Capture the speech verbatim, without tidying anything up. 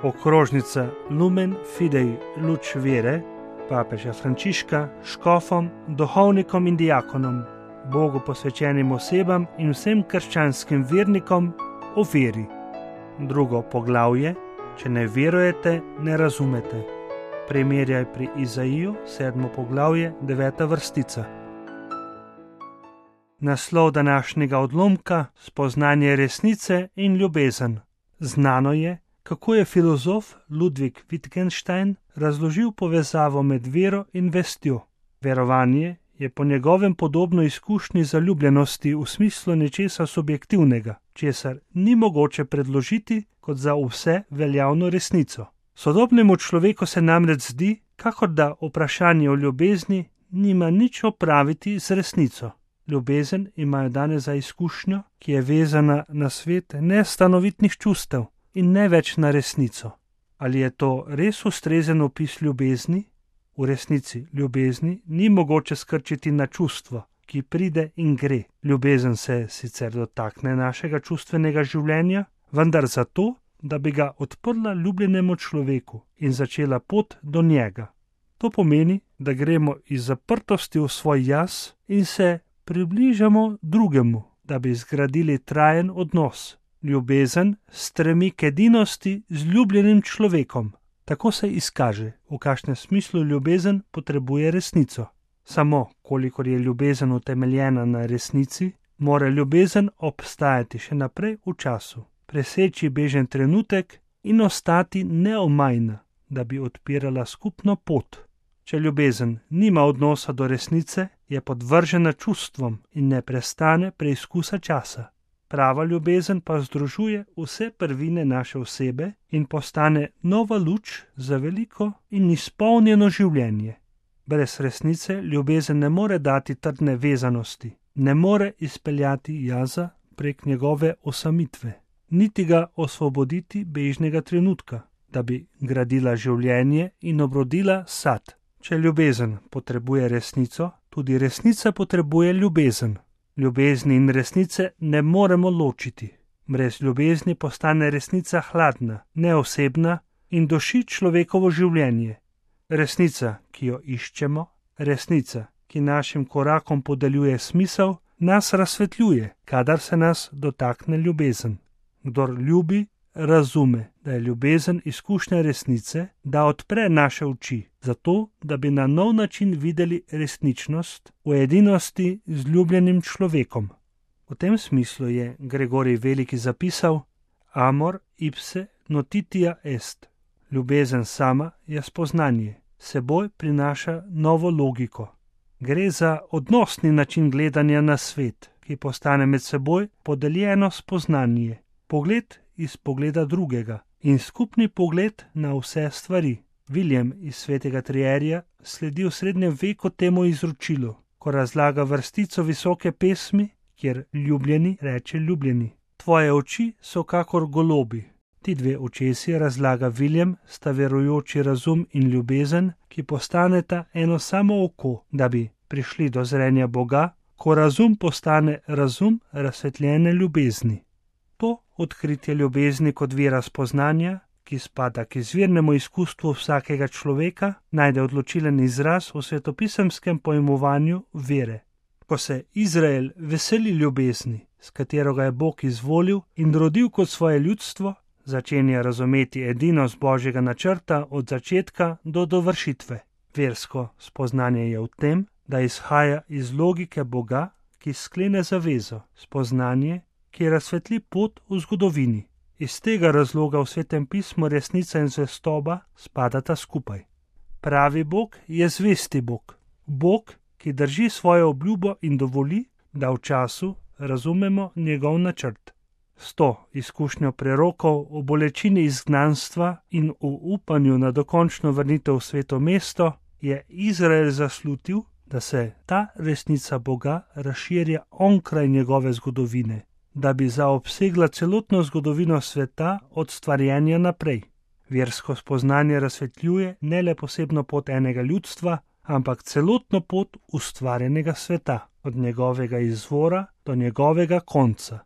okrožnica Lumen Fidei Luč vere papeža Frančiška škofom, duhovnikom in diakonom, Bogu posvečenim osebam in vsem krščanskim vernikom o veri. Drugo poglavje: če ne verujete, ne razumete. Primerjaj pri Izaiju, sedmo poglavje, deveta vrstica. Naslov današnjega odlomka: spoznanje resnice in ljubezen. Znano je, kako je filozof Ludwig Wittgenstein razložil povezavo med vero in vestjo. Verovanje je po njegovem podobno izkušnji zaljubljenosti v smislu nečesa subjektivnega, česar ni mogoče predložiti kot za vse veljavno resnico. Sodobnemu človeku se namreč zdi, kakor da vprašanje o ljubezni nima nič opraviti z resnico. Ljubezen imajo danes za izkušnjo, ki je vezana na svet nestanovitnih čustev in ne več na resnico. Ali je to res ustrezen opis ljubezni? V resnici ljubezni ni mogoče skrčiti na čustvo, ki pride in gre. Ljubezen se sicer dotakne našega čustvenega življenja, vendar zato, da bi ga odprla ljubljenemu človeku in začela pot do njega. To pomeni, da gremo iz zaprtosti v svoj jaz in se približamo drugemu, da bi zgradili trajen odnos. Ljubezen stremi k edinosti z ljubljenim človekom. Tako se izkaže, v kakšnem smislu ljubezen potrebuje resnico. Samo, kolikor je ljubezen utemeljena na resnici, mora ljubezen obstajati še naprej v času, preseči bežen trenutek in ostati neomajna, da bi odpirala skupno pot. Če ljubezen nima odnosa do resnice, je podvržena čustvom in ne prestane preizkusa časa. Prava ljubezen pa združuje vse prvine naše osebe in postane nova luč za veliko in izpolnjeno življenje. Brez resnice ljubezen ne more dati trdne vezanosti, ne more izpeljati jaza prek njegove osamitve, niti ga osvoboditi bežnega trenutka, da bi gradila življenje in obrodila sad. Če ljubezen potrebuje resnico, tudi resnica potrebuje ljubezen. Ljubezni in resnice ne moremo ločiti. Brez ljubezni postane resnica hladna, neosebna in duši človekovo življenje. Resnica, ki jo iščemo, resnica, ki našim korakom podeljuje smisel, nas razsvetljuje, kadar se nas dotakne ljubezen. Kdor ljubi, razume, da je ljubezen izkušnja resnice, da odpre naše oči, zato, da bi na nov način videli resničnost v edinosti z ljubljenim človekom. V tem smislu je Gregorij Veliki zapisal: amor ipse notitia est. Ljubezen sama je spoznanje, seboj prinaša novo logiko. Gre za odnosni način gledanja na svet, ki postane med seboj podeljeno spoznanje, pogled iz pogleda drugega in skupni pogled na vse stvari. William iz Svetega Trierija sledi v srednjem veku temu izročilu, ko razlaga vrstico visoke pesmi, kjer ljubljeni reče ljubljeni. Tvoje oči so kakor golobi. Ti dve očesi, razlaga William, sta verujoči razum in ljubezen, ki postaneta eno samo oko, da bi prišli do zrenja Boga, ko razum postane razum razsvetljene ljubezni. To odkritje ljubezni kot vira spoznanja, ki spada k izvirnemu izkustvu vsakega človeka, najde odločilen izraz v svetopisemskem pojmovanju vere. Ko se Izrael veseli ljubezni, s katero ga je Bog izvolil in rodil kot svoje ljudstvo, začenja razumeti edinost Božjega načrta od začetka do dovršitve. Versko spoznanje je v tem, da izhaja iz logike Boga, ki sklene zavezo, spoznanje, ki razsvetli pot v zgodovini. Iz tega razloga v Svetem pismu resnica in zvestoba spadata skupaj. Pravi Bog je zvesti Bog. Bog, ki drži svojo obljubo in dovoli, da v času razumemo njegov načrt. S to izkušnjo prerokov o bolečini izgnanstva in v upanju na dokončno vrnitev v sveto mesto je Izrael zaslutil, da se ta resnica Boga razširja onkraj njegove zgodovine, da bi zaobsegla celotno zgodovino sveta od stvarjenja naprej. Versko spoznanje razsvetljuje ne le posebno pot enega ljudstva, ampak celotno pot ustvarjenega sveta, od njegovega izvora do njegovega konca.